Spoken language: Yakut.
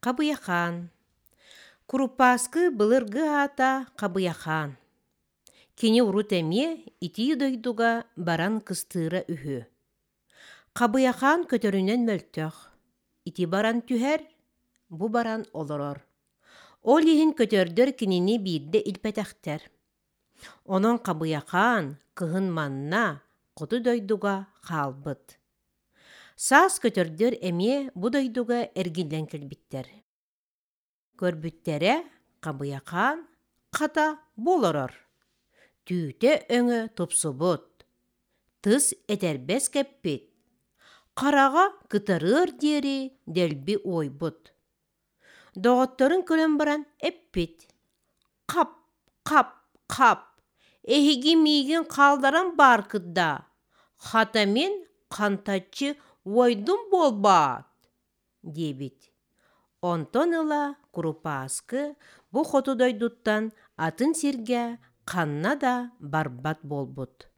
Хабыйахаан. Курупааскы былыргы аата Хабыйахаан. Кини урут эмиэ итии дойдуга баран кыстыыра үһү. Хабыйахаан көтөрүнэн мөлтөх, ити баран түһэр, бу баран олорор. Ол иһин көтөрдөр кинини биирдэ илпэтэхтэр. Онон Хабыйахаан кыһын манна, хоту дойдуга хаалбыт. Саас көтөрдөр эмиэ бу дойдуга эргиллэн кэлбиттэр. Көрбүттэрэ, Хабыйахаан хата бу олорор, түүтэ-өҥө тупсубут, тыс этэрбэс кэппит, хараҕа кытарыар диэри дэлби уойбут. Доҕотторун көрөн баран эппит: «Хап, хап, хап, эһиги миигин хаалларан бааргыт даа, хата мин хантаччы уойдум буолбаат?» диэбит. Онтон ыла Курупааскы бу хоту дойдуттан атын сиргэ ханна да барбат буолбут.